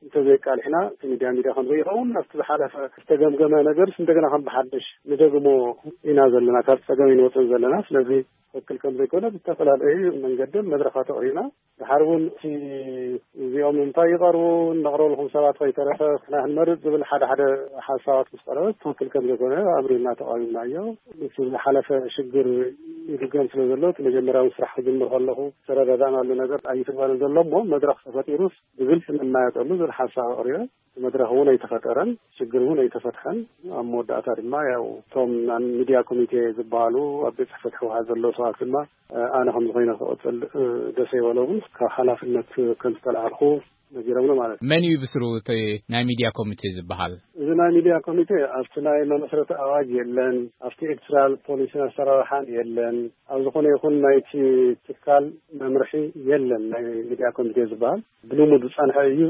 እንተዘይቃሊሕና እቲ ሚድያ ሚድያ ከም ዘይኸውን፣ ኣብቲ ዝሓለፈ ዝተገምገመ ነገርስ እንደገና ከም ብሓድሽ ንደግሞ ኢና ዘለና፣ ካብ ፀገም ኣይንወፅን ዘለና። ስለዚ ትኽክል ከም ዘይኮነ ብዝተፈላለዩ መንገድን መድረኻት ኣቕሪብና፣ ድሓር እውን እቲ እዚኦም እንታይ ይቐርቡ፣ ነቕርበልኩም ሰባት ከይተረፈ ንሕና ክንመርፅ ዝብል ሓደ ሓደ ሓሳባት ምስ ቀረበ ትኽክል ከም ዘይኮነ ኣምሪርና ተቓዊምናዮ። እቲ ዝሓለፈ ሽግር ይድገም ስለ ዘሎ፣ እቲ መጀመርያዊ ስራሕ ክጅምር ከለኹ ዝተረዳዳእናሉ ነገር ኣይትግበርን ዘሎ እሞ፣ መድረኽ ተፈጢሩስ ብግልፂ ንመያየጠሉ ዝብል ሓሳብ ኣቕሪበ። እቲ መድረኽ እውን ኣይተፈጠረን፣ ሽግር እውን ኣይተፈትሐን። ኣብ መወዳእታ ድማ ያው እቶም ናይ ሚድያ ኮሚቴ ዝበሃሉ ኣብ ቤት ጽሕፈት ህወሓት ዘለዉ ሰባት ድማ፣ እ፣ ኣነ ከም ዝኾነ ክቕጽል፣ እ፣ ደስ ኣይበሎምን፣ ካብ ሓላፍነት ከም ዝተላዕልኩ ነጊሮምኒ ማለት እዩ። መን እዩ ብስሩ እቲ ናይ ሚድያ ኮሚቴ ዝበሃል? እዚ ናይ ሚድያ ኮሚቴ ኣብቲ ናይ መመስረቲ ኣዋጅ የለን፣ ኣብቲ ኤዲቶሪያል ፖሊሲን ኣሰራርሓን የለን። ኣብ ዝኾነ ይኹን ናይቲ ትካል መምርሒ የለን ናይ ሚድያ ኮሚቴ ዝበሃል። ብልሙድ ዝጸንሐ እዩ።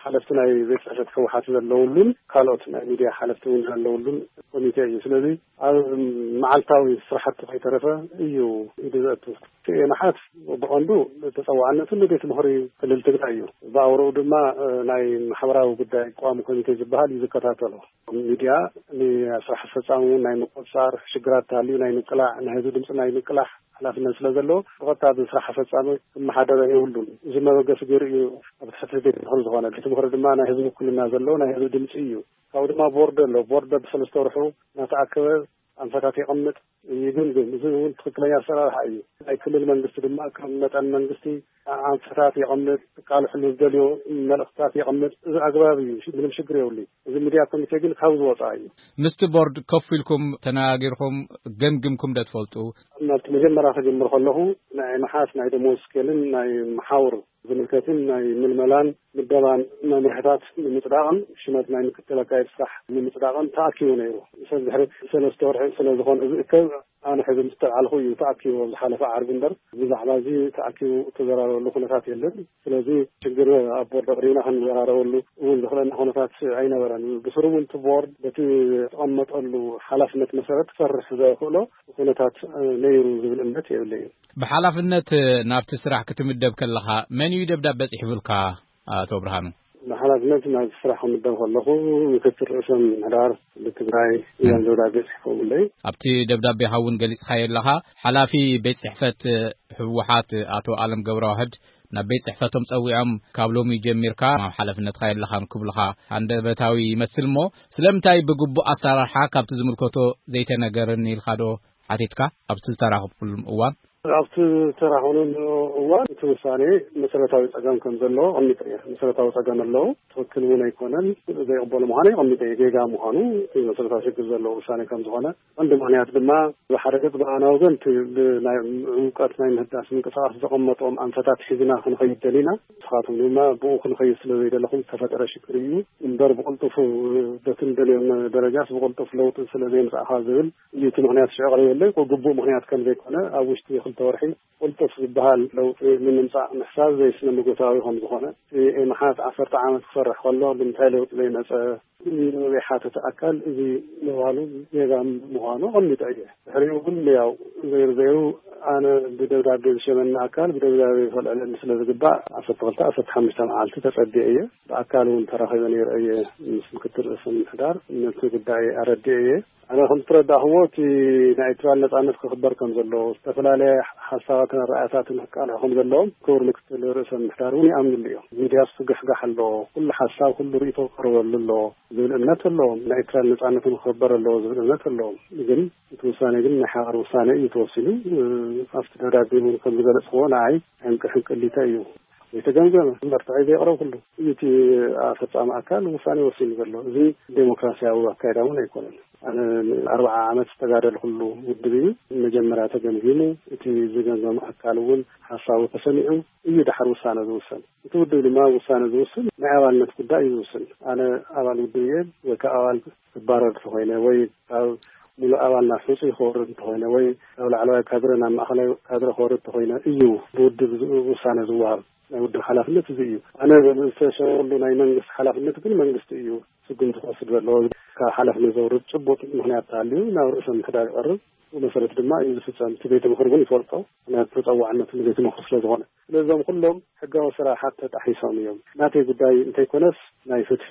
ሓለፍቲ ናይ ቤት ጽሕፈት ህወሓት ዘለውሉን ካልኦት ናይ ሚድያ ሓለፍቲ እውን ዘለውሉን ኮሚቴ እዩ። ስለዚ ኣብ መዓልታዊ ስራሕቲ ከይተረፈ እዩ ኢዱ ዘእቱ። እቲ ኤማሓት ብቐንዱ ተጸዋዕነቱ ንቤት ምኽሪ ክልል ትግራይ እዩ። ብኣውርኡ ድማ፣ እ፣ ናይ ማሕበራዊ ጉዳይ ቋሚ ኮሚቴ ዝበሃል እዩ ዝከታተሎ። ሚድያ ንስራሕ ኣስፈጻሚ እውን ናይ ምቁጽጻር፣ ሽግራት ተሃልዩ ናይ ምቅላዕ፣ ናይ ህዝቢ ድምፂ ናይ ምቅላሕ ሓላፍነት ስለ ዘለዎ፣ ብቐጥታ ብስራሕ ኣፈጻሚ ክመሓደር የብሉን። እዚ መበገሲ ገይሩ እዩ ኣብ ትሕቲ ቤት ምኽሪ ዝኾነ። ቤት ምኽሪ ድማ ናይ ህዝቢ ውክልና ዘለዎ ናይ ህዝቢ ድምፂ እዩ። ካብኡ ድማ ቦርድ ኣሎ። ቦርድ በብሰለስተ ወርሑ እናተኣከበ ኣንፈታት የቐምጥ፣ ይግምግም። እዚ እውን ትኽክለኛ ኣሰራርሓ እዩ። ናይ ክልል መንግስቲ ድማ ከም መጠን መንግስቲ ኣንፈታት የቐምጥ፣ ክቃልሕሉ ዝደልዮ መልእኽትታት የቐምጥ። እዚ ኣግባብ እዩ፣ ምንም ሽግር የብሉን። እዚ ሚድያ ኮሚቴ ግን ካብዚ ወፃኢ እዩ። ምስቲ ቦርድ ኮፍ ኢልኩም ተነጋጊርኩም ገምግምኩም ዶ ትፈልጡ? ናብቲ መጀመርያ ክጅምር ከለኹ ናይ መሓስ ናይ ደሞዝ ስኬልን ናይ መሓውር ዝምልከትን ናይ ምልመላን ምደባን መምርሕታት ንምፅዳቕን ሽመት ናይ ምክትል ኣካየዲ ስራሕ ንምፅዳቕን ተኣኪቡ ነይሩ። ሰብ ድሕሪ ሰለስተ ወርሒ ስለ ዝኾነ ዝእከብ ኣነ ሕዚ ምስ ተልዓልኩ እዩ ተኣኪቡ፣ ኣብ ዝሓለፈ ዓርቢ እምበር ብዛዕባ እዚ ተኣኪቡ እተዘራረበሉ ኩነታት የለን። ስለዚ ሽግር ኣብ ቦርድ ኣቕሪብና ክንዘራረበሉ እውን ዘኽእለና ኩነታት ኣይነበረን። ብስሩ እውን እቲ ቦርድ በቲ ዝተቐመጠሉ ሓላፍነት መሰረት ክሰርሕ ዘኽእሎ ኩነታት ነይሩ ዝብል እምነት የብለይን። ብሓላፍነት ናብቲ ስራሕ ክትምደብ ከለኻ መን እዩ ደብዳብ በፂሕብልካ? ኣቶ ብርሃኑ። ብሓላፍነት ናብ ስራሕ ክምደብ ከለኹ ምክትል ርእሰ ምምሕዳር ትግራይ እዮም ደብዳቤ ጽሒፎምለይ። ኣብቲ ደብዳቤኻ እውን ገሊጽካዮ ኣለኻ። ሓላፊ ቤት ጽሕፈት ህወሓት ኣቶ ኣለም ገብረዋህድ ናብ ቤት ጽሕፈቶም ጸዊዖም ካብ ሎሚ ጀሚርካ ኣብ ሓላፍነትካ የለኻን ክብሉኻ ሃንደበታዊ ይመስል እሞ ስለምንታይ ብግቡእ ኣሰራርሓ ካብቲ ዝምልከቶ ዘይተነገረኒ ኢልካ ዶ ሓቲትካ ኣብቲ ዝተራኸብኩሉም እዋን? ኣብቲ ተራኸብሉ እዋን እቲ ውሳኔ መሰረታዊ ጸገም ከም ዘለዎ ኣቐሚጠ እየ። መሰረታዊ ጸገም ኣለዎ፣ ትኽክል እውን ኣይኮነን፣ ዘይቕበሉ ምዃኑ ኣቐሚጠ እየ። ጌጋ ምዃኑ እቲ መሰረታዊ ሽግር ዘለዎ ውሳኔ ከም ዝኾነ፣ ቀንዲ ምኽንያት ድማ ብሓደ ገጽ ብኣና ወገን እቲ ብናይ እውቀት ናይ ምህዳስ ምንቅስቃስ ዘቐመጦም ኣንፈታት ሒዝና ክንኸይድ ደሊና፣ ንስኻትኩም ድማ ብኡ ክንኸይድ ስለ ዘይደለኹም ዝተፈጠረ ሽግር እዩ እምበር፣ ብቕልጡፉ በቲ ንደልዮም ደረጃስ ብቕልጡፍ ለውጢ ስለ ዘይምጻእኻ ዝብል እዩ እቲ ምኽንያት ሽዑ ቀሪበለይ። ግቡእ ምኽንያት ከም ዘይኮነ ኣብ ውሽጢ ክልተ ወርሒ ቅልጡፍ ዝበሃል ለውጢ ንምምጻእ ምሕሳብ ዘይስነ መጎታዊ ከም ዝኾነ፣ እቲ ኤምሓት ዓሰርተ ዓመት ክሰርሕ ከሎ ብምንታይ ለውጢ ዘይመጸ? ንዝሓተተ ኣካል እዚ ምባሉ ጌጋ ምዃኑ ኣቐሚጠ እየ። ድሕሪኡ ግን ያው ዘይሩ ዘይሩ ኣነ ብደብዳቤ ዝሸመኒ ኣካል ብደብዳቤ ከልዕለኒ ስለ ዝግባእ ዓሰርተ ክልተ ዓሰርተ ሓሙሽተ መዓልቲ ተጸቢየ እየ። ብኣካል እውን ተራኺበ ነይረ እየ ምስ ምክትል ርእሰ ምምሕዳር ነቲ ጉዳይ ኣረዲኤ እየ። ኣነ ከም ዝተረዳእኽዎ እቲ ናይ ኤርትራ ነጻነት ክኽበር ከም ዘለዎ፣ ዝተፈላለየ ሓሳባትን ኣረኣእያታትን ክቃልዑ ከም ዘለዎም ክቡር ምክትል ርእሰ ምምሕዳር እውን ይኣምንሉ እዮም። ሚድያስ ትግሕጋሕ ኣለዎ፣ ኩሉ ሓሳብ ኩሉ ርእይቶ ክቐርበሉ ኣለዎ ዝብል እምነት ኣለዎም። ናይ ኤርትራ ነጻነት እውን ክኽበር ኣለዎ ዝብል እምነት ኣለዎም። ግን እቲ ውሳኔ ግን ናይ ሓባር ውሳኔ እዩ ተወሲኑ። ኣብቲ ደብዳቤ እውን ከም ዝገለጽኽዎ ንዓይ ሕንቂ ሕንቅሊተ እዩ። ዘይተገምገመ መርትዒ ዘየቕረብኩሉ እዩ እቲ ኣፈጻሚ ኣካል ውሳኔ ወሲኑ ዘሎ። እዚ ዴሞክራሲያዊ ኣካይዳ እውን ኣይኮነን። ኣነ ንኣርብዓ ዓመት ዝተጋደልኩሉ ውድብ እዩ። መጀመርያ ተገምጊሙ እቲ ዝገምገም ኣካል እውን ሓሳቡ ተሰሚዑ እዩ ድሓር ውሳነ ዝውሰን። እቲ ውድብ ድማ ውሳነ ዝውስን ናይ ኣባልነት ጉዳይ እዩ ዝውስን። ኣነ ኣባል ውድብ እየ ወይ ከዓ ኣባል ክባረር እንተኾይነ ወይ ካብ ሙሉእ ኣባል ናብ ሕጹይ ክወርድ እንተኾይነ ወይ ካብ ላዕለዋይ ካድረ ናብ ማእኸላይ ካድረ ክወርድ እንተኾይነ እዩ ብውድብ ዝ-፣ ውሳነ ዝወሃብ። ናይ ውድብ ሓላፍነት እዚ እዩ። ኣነ ዝተሸመሉ ናይ መንግስቲ ሓላፍነት ግን መንግስቲ እዩ ስጉምቲ ክወስድ ዘለዎ። ካብ ሓላፍነት ዘውርድ ጭቡጥ ምኽንያት ተሃልዩ ናብ ርእሰ ምምሕዳር ይቐርብ። ብኡ መሰረት ድማ እዩ ዝፍጸም። እቲ ቤት ምኽሪ እውን ይፈልጦ፣ ምኽንያቱ ተጸዋዕነቱ ንቤት ምኽሪ ስለ ዝኾነ። ስለዞም ኩሎም ሕጋዊ ስራሓት ተጣሒሶም እዮም። ናተይ ጉዳይ እንተይኮነስ ናይ ፍትሒ፣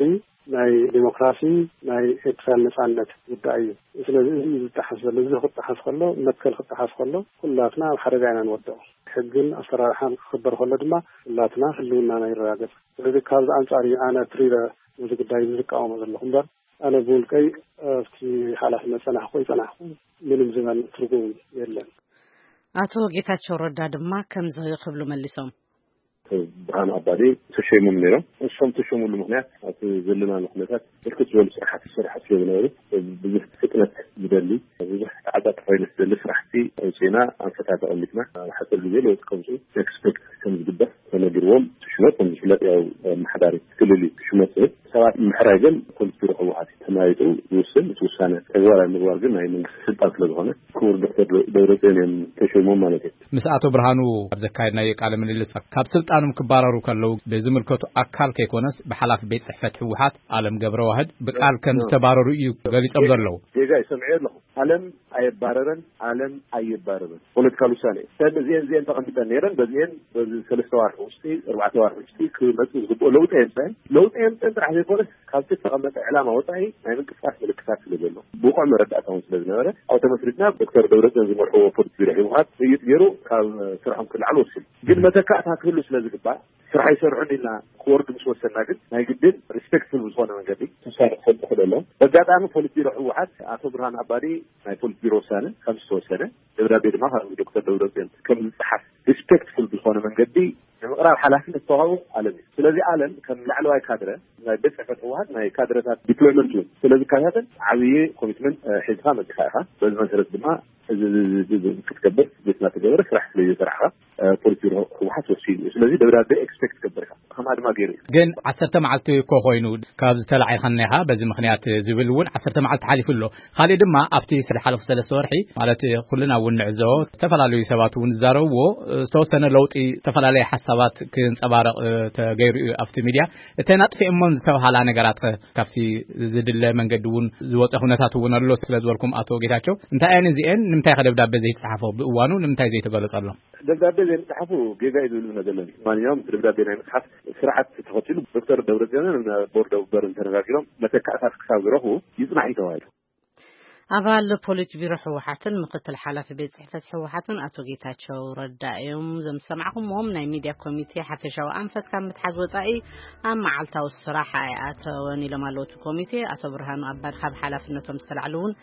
ናይ ዲሞክራሲ፣ ናይ ኤርትራ ነጻነት ጉዳይ እዩ። ስለዚ እዚ እዩ ዝጠሓስ ዘሎ። እዚ ክጠሓስ ከሎ፣ መትከል ክጠሓስ ከሎ፣ ኩላትና ኣብ ሓደጋ ኢና ንወድቕ። ሕግን ኣሰራርሓን ክኽበር ከሎ ድማ ኩላትና ህልውናና ይረጋገጽ። ስለዚ ካብዚ ኣንጻር እዩ ኣነ ትሪረ ነዚ ጉዳይ እዚ ዝቃወሞ ዘለኹ እምበር፣ ኣነ ብውልቀይ ኣብቲ ሓላፍነት ጸናሕኩ ኣይጸናሕኩ ምንም ዝበል ትርጉም የለን። ኣቶ ጌታቸው ረዳ ድማ ከምዚ ክብሉ መሊሶም። ብርሃኑ ኣባዲ ተሸይሞም ነይሮም። እሶም ተሸሙሉ ምኽንያት ኣብቲ ዘለናሉ ኩነታት ብርክት ዝበሉ ስራሓት ዝስራሕ ስለ ዝነበሩ ብዙሕ ፍጥነት ዝደሊ፣ ብዙሕ ተዓጻጻፋይነት ዝደሊ ስራሕቲ ኣውፂእና ኣንፈታት ኣቐሚጥና ኣብ ሓፂር ግዜ ለውጢ ከምፅኡ ኤክስፔክት ከም ዝግበር ተነጊርዎም። እቲ ሽመት ከም ዝፍለጥ ያው ኣመሓዳሪ ክልል እዩ ሽመት ዝህብ። ሰባት ምሕራይ ግን ፖሊስ ቢሮ ህወሓት እዩ ተመያይጡ ዝውስን። እቲ ውሳነ ተግባራዊ ምግባር ግን ናይ መንግስቲ ስልጣን ስለ ዝኾነ ክቡር ዶክተር ደብረፅዮን እዮም ተሸይሞም ማለት እዩ። ምስ ኣቶ ብርሃኑ ኣብ ዘካየድናዮ ቃለ ምልልስ ካብ ስልጣኖም ክባረሩ ከለዉ ብዝምልከቱ ኣካል ከይኮነስ ብሓላፊ ቤት ጽሕፈት ህወሓት ኣለም ገብረዋህድ ብቃል ከም ዝተባረሩ እዩ ገሊጾም ዘለዉ። ጌጋ እዩ ሰምዐ ኣለኹ። ኣለም ኣየባረረን፣ ኣለም ኣይባረርን። ፖለቲካል ውሳኔ እዩ። ሰብ እዚአን እዚአን ተቐሚጠን ነይረን፣ በዚአን በዚ ሰለስተ ዋርሒ ውሽጢ፣ ኣርባዕተ ዋርሒ ውሽጢ ክመጽእ ዝግብኦ ለውጢ ኣየምፅአን። ለውጢ ኣየምፅአን ጥራሕ ዘይኮነስ ካብቲ ዝተቐመጠ ዕላማ ወፃኢ ናይ ምንቅስቃስ ምልክታት ስለ ዘሎ ብቑዕ መረዳእታ እውን ስለ ዝነበረ ኣብኡ ተመስሪትና ዶክተር ደብረፅዮን ዝመርሕዎ ፖሊት ቢሮ ህወሓት ምይይጥ ገይሩ ካብ ስርሖም ክልዓሉ ወሲኑ። ግን መተካእታ ክህሉ ስለ ዝግባእ ስራሕ ይሰርሑን ኢልና ክወርዱ ምስ ወሰንና ግን ናይ ግድን ሪስፔክትፉል ብዝኾነ መንገዲ ውሳነ ክሰጡ ክእል ኣለዎም። በጋጣሚ ፖሊት ቢሮ ህወሓት ኣቶ ብርሃን ኣባዲ ናይ ፖሊት ቢሮ ውሳነ ከም ዝተወሰነ ደብዳቤ ድማ ካብ ዶክተር ደብረፅዮን ከም ዝፀሓፍ ሪስፔክትፉል ብዝኾነ መንገዲ ንምቕራብ ሓላፍነት ዝተዋህቦ ኣለም እዩ። ስለዚ ኣለም ከም ላዕለዋይ ካድረ ናይ ቤት ፅሕፈት ህወሓት ናይ ካድረታት ዲፕሎይመንት እውን ስለ ዝከታተል ዓብዪ ኮሚትመንት ሒዝካ መፂኻ ኢኻ። በዚ መሰረት ድማ እዚ ክትገብር ቤትና ተገበረ ስራሕ ስለ ዝተራሕኻ ፖሊስ ቢሮ ህወሓት ወሲኑ እዩ። ስለዚ ደብዳቤ ኤክስፔክት ገብርካ ከማ ድማ ገይሩ እዩ። ግን ዓሰርተ መዓልቲ እኮ ኮይኑ ካብ ዝተላዒኻ እኒኻ በዚ ምኽንያት ዝብል እውን ዓሰርተ መዓልቲ ሓሊፉ ኣሎ። ካልእ ድማ ኣብቲ ዝሓለፉ ሰለስተ ወርሒ ማለት ኩልና እውን ንዕዘቦ ዝተፈላለዩ ሰባት እውን ዝዛረብዎ ዝተወሰነ ለውጢ ዝተፈላለየ ሓሳባት ክንፀባረቕ ተገይሩ እዩ ኣብቲ ሚድያ። እተን ኣጥፊኦሞን ዝተብሃላ ነገራት ከ ካብቲ ዝድለ መንገዲ እውን ዝወፀ ኩነታት እውን ኣሎ ስለ ዝበልኩም ኣቶ ጌታቸው እንታይ እየን እዚአን? ንምንታይ ከ ደብዳቤ ዘይተፃሓፎ ብእዋኑ ንምንታይ ዘይተገለፀሎም? ደብዳቤ ዘይምፅሓፉ ጌጋ እዩ ዝብል እምነት ዘለኒ። ማንኛውም ደብዳቤ ናይ ምፅሓፍ ስርዓት ተኸቲሉ ዶክተር ደብረፅዮንን ቦርድ ኣቡበርን ተነጋጊሮም መተካእታት ክሳብ ዝረኽቡ ይፅናሕ እዩ ተባሂሉ። ኣባል ፖሊት ቢሮ ህወሓትን ምክትል ሓላፊ ቤት ጽሕፈት ህወሓትን ኣቶ ጌታቸው ረዳ እዮም። ዘምሰማዕኹምዎም ናይ ሚድያ ኮሚቴ ሓፈሻዊ ኣንፈት ካብ ምትሓዝ ወጻኢ ኣብ መዓልታዊ ስራሕ ኣይኣተወን ኢሎም ኣለዉ። እቲ ኮሚቴ ኣቶ ብርሃኑ ኣባድ ካብ ሓላፍነቶም ዝተላዕሉ እውን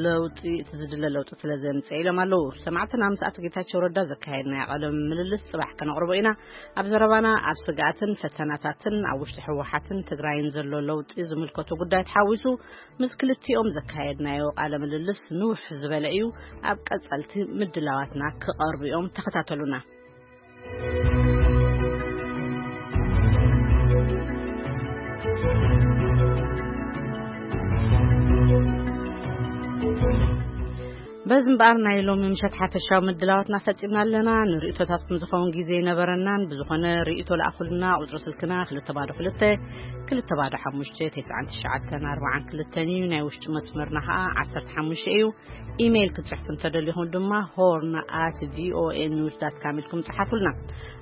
ለውጢ፣ እቲ ዝድለ ለውጢ ስለ ዘምጽአ ኢሎም ኣለዉ። ሰማዕትና ምስ ኣቶ ጌታቸው ረዳ ዘካየድናዮ ቃለ ምልልስ ጽባሕ ከነቕርቦ ኢና። ኣብ ዘረባና ኣብ ስግኣትን ፈተናታትን ኣብ ውሽጢ ህወሓትን ትግራይን ዘሎ ለውጢ ዝምልከቱ ጉዳይ ተሓዊሱ ምስ ክልቲኦም ዘካየድናዮ ቃለ ምልልስ ንውሕ ዝበለ እዩ። ኣብ ቀጸልቲ ምድላዋትና ክቐርቡ እዮም። ተኸታተሉና። በዚ እምበኣር ናይ ሎሚ ምሸት ሓፈሻዊ ምድላዋትና ፈጺምና ኣለና። ንርእይቶታትኩም ዝኸውን ግዜ ይነበረናን። ብዝኾነ ርእይቶ ለኣኹልና። ቁጽሪ ስልክና ክልተ ባዶ ክልተ፣ ክልተ ባዶ ሓሙሽተ፣ ተስዓን ትሽዓተን ኣርባዓን ክልተን እዩ። ናይ ውሽጢ መስመርና ኸኣ ዓሰርተ ሓሙሽተ እዩ። ኢሜይል ክትጽሕፉ እንተደሊኹም ድማ ሆርን ኣት ቪኦኤ ኒውስ ዳት ካም ኢልኩም ጽሓፉልና።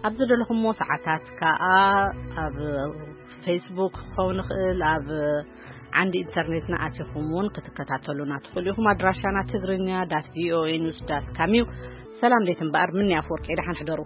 ኣብ ዝደለኹምዎ ሰዓታት ከኣ ኣብ ፌስቡክ ክኸውን ይኽእል፣ ኣብ ዓንዲ ኢንተርኔትና ኣቲኹም እውን ክትከታተሉና ትኽእሉ ኢኹም። ኣድራሻና ትግርኛ ዳት ቪኦኤ ኒውስ ዳት ካም እዩ። ሰላም ዴት እምበኣር፣ ምንያ ኣፈወርቂ፣ ደሓን ሕደሩ።